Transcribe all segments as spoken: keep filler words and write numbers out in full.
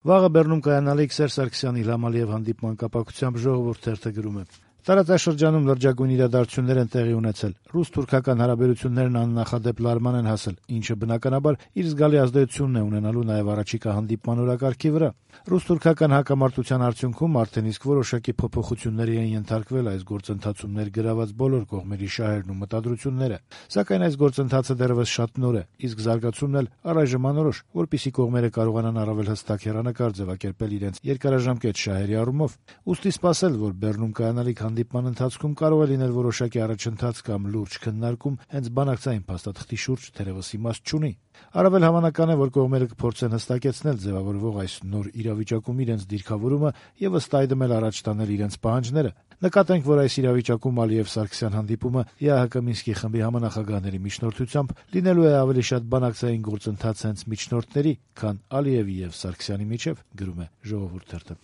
Վաղը Բեռնում կայանալիք Սերժ Սարգսյանի Իլհամ Ալիև հանդիպման կապակցությամբ «Ժողովուրդ» թերթը գրում է. Տարածաշրջանում լրջագույն իրադարձություններ են տեղի ունեցել. ռուս-թուրքական հարաբերություններն աննախադեպ լարման են հասել, ինչը բնականաբար իր զգալի ազդեցությունն է ունենալու նաև առաջիկա հանդիպման օրակարգի վրա։ Ռուս-թուրքական հակամարտության արդյունքում արդեն իսկ որոշակի փոփոխությունների են ենթարկվել այս գործընթացում ներգրաված բոլոր կողմերի շահերն ու մտադրությունները, սակայն այս գործընթացը դեռևս շատ նոր է, իսկ զարգացումն էլ առայժմ անորոշ, որպեսզի կողմերը կարողանան առավել հստակ հեռանկար ձևակերպել իրենց երկարաժամկետ շահերի առումով։ Ուստի սպասել, որ Բեռնում կայանալիք հանդիպման ընթացքում կարող է լինել որոշակի առաջընթաց կամ լուրջ քննարկում հենց բանակցային փաստաթղթի շուրջ թերևս իմաստ չունի։ Առավել հավանական է, որ կողմերը կփորձեն հստակեցնել ձևավորվող այս նոր իրավիճակում իրենց դիրքավորումը եւ ըստ այդմ էլ առաջ տանել իրենց պահանջները։ Նկատենք, որ այս իրավիճակում Ալիև-Սարգսյան հանդիպումը ԵԱՀԿ Մինսկի խմբի համանախագահների միջնորդությամբ լինելու է ավելի շատ բանակցային գործընթաց հենց միջնորդների, քան Ալիևի եւ Սարգսյանի միջեւ, գրում է «Ժողովուրդ» թերթը։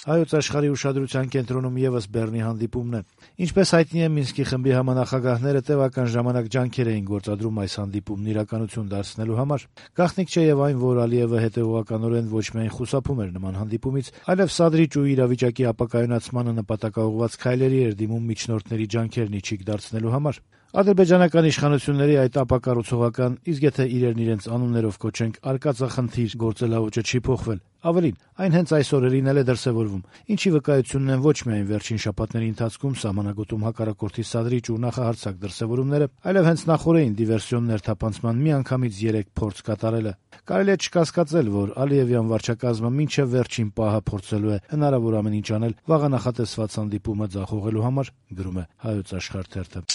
Հայոց աշխարհի ուշադրության կենտրոնում եւս Բեռնի հանդիպումն է։ Ինչպես հայտնի է, Մինսկի խմբի համանախագահները տևական ժամանակ ջանքեր էին գործադրում այս հանդիպումն իրականություն դարձնելու համար։ Գաղտնիք չէ եւ այն, որ Ալիևը հետեւողականորեն ոչ միայն խուսափում էր նման հանդիպումից, այլև սադրիչ ու իրավիճակի ապակայունացմանը նպատակաուղղված քայլերի էր դիմում միջնորդների ջանքերն իջիկ դարձնելու համար։ Ադրբեջանական իշխանությունների այդ ապակառուցողական, իսկ եթե իրերն իրենց անուններով կոչենք արկածախնդիր գործելաոճը չի փոխվել։ Ավելին, այն հենց այս օրերին էլ է դրսևորվում, ինչի վկայությունն են ոչ միայն վերջին շաբաթների ընթացքում սահմանագոտում հակառակորդի սադրիչ ու նախահարձակ դրսևորումները, այլև հենց նախօրեին դիվերսիոն ներթափանցման միանգամից երեք փորձ կատարելը։ Կարելի է չկասկածել, որ Ալիևյան վարչակազմը մինչև վերջին պահը փորձելու է հնարավոր ամեն ինչ անել վաղը նախատեսված հանդիպումը ձախողելու համար, գրում է «Հայոց աշխարհ» թերթը։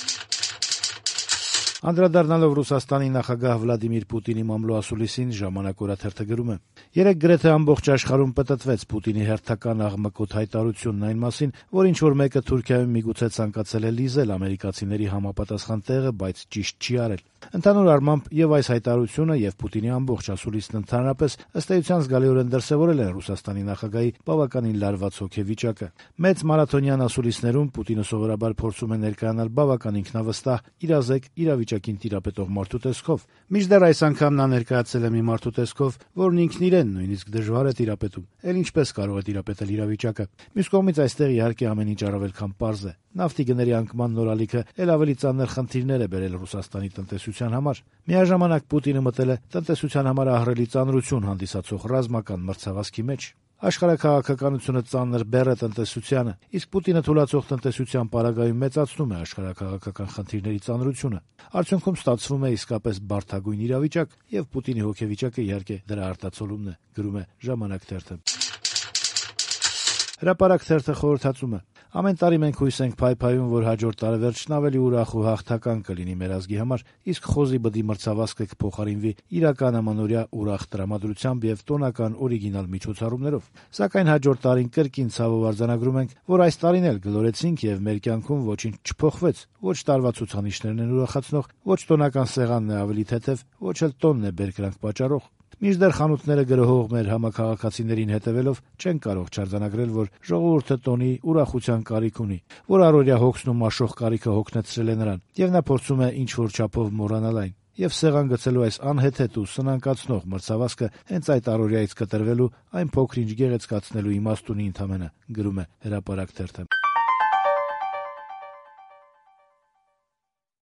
Անդրադառնալով Ռուսաստանի նախագահ Վլադիմիր Պուտինի մամլոասուլիսին, «Ժամանակ» օրաթերթը գրում է. «Երեկ գրեթե ամբողջ աշխարհում պտտվեց Պուտինի հերթական աղմկոտ հայտարարությունն այն մասին, որ ինչ-որ մեկը Թուրքիայում միգուցե ցանկացել է լիզել ամերիկացիների համապատասխան տեղը, բայց ճիշտ չի արել։ Ընդհանուր առմամբ եւ այս հայտարարությունը եւ Պուտինի ամբողջ ասուլիսն ընդհանրապես ըստ էության զգալիորեն դրսեւորել են Ռուսաստանի նախագահի բավականին լարված հոգեվիճակը։ Մեծ մարաթոնյան ասուլիսներում Պուտինը սովորաբար փորձում է ներկայանալ բավական ինքնավստահ, իրազեկ, իրավիճակին տիրապետող մարդու տեսքով։ Մինչդեռ այս անգամ նա ներկայացել է մի մարդու տեսքով, որն ինքն իրեն նույնիսկ դժվար է տիրապետում։ Էլ ինչպես կարող է տիրապետել իրավիճակը։ Մյուս կողմից այստեղ իհարկե ամեն ինչ առավել քան պարզ է։ Նավթի գների անկման նոր ալիքը էլ ավելի ծանր խնդիրներ է բերել Ռուսաստանի տնտեսության համար։ Միաժամանակ Պուտինը մտել է տնտեսության համար ահռելի ծանրություն հանդիսացող ռազմական մրցավազքի մեջ։ Աշխարհաքաղաքականությունը ծանր բեռ է տնտեսությանը, իսկ Պուտինը թուլացող տնտեսության պարագայում մեծացնում է աշխարհաքաղաքական խնդիրների ծանրությունը։ Արդյունքում ստացվում է իսկապես բարդագույն իրավիճակ, եւ Պուտինի հոգեվիճակը իհարկե դրա արտացոլումն է, գրում է «Ժամանակ» թերթը։ Հրապարակ թերթը խորհրդածում է. ամեն տարի մենք հույս ենք փայփայում, որ հաջորդ տարեվերջն ավելի ուրախ ու հաղթական կլինի մեր ազգի համար, իսկ խոզի բդի մրցավազքը կփոխարինվի իրական ամանորյա ուրախ տրամադրությամբ եւ տոնական օրիգինալ միջոցառումներով։ Սակայն հաջորդ տարին կրկին ցավով արձանագրում ենք, որ այս տարին էլ գլորեցինք եւ մեր կյանքում ոչինչ չփոխվեց։ Ոչ տարվա ցուցանիշներն են ուրախացնող, ոչ տոնական սեղանն է ավելի թեթև, ոչ էլ տոնն է բերկրանք պատճառող։ Մինչդեռ խանութները գրոհող մեր համակարգացիներին հետևելով չեն կարող չարձանագրել, որ ժողովուրդը տոնի, ուրախության կարիք ունի, որ առօրյա հոգսն ու մաշող կարիքը հոգնեցրել է նրան, եւ նա փորձում է ինչ-որ չափով մոռանալ այն։ Եվ սեղան գցելու այս անհեթեթ ու սնանկացնող մրցավազքը հենց այդ առօրյայից կտրվելու, այն փոքր-ինչ գեղեցկացնելու իմաստ ունի ընդամենը, գրում է «Հրապարակ» թերթը։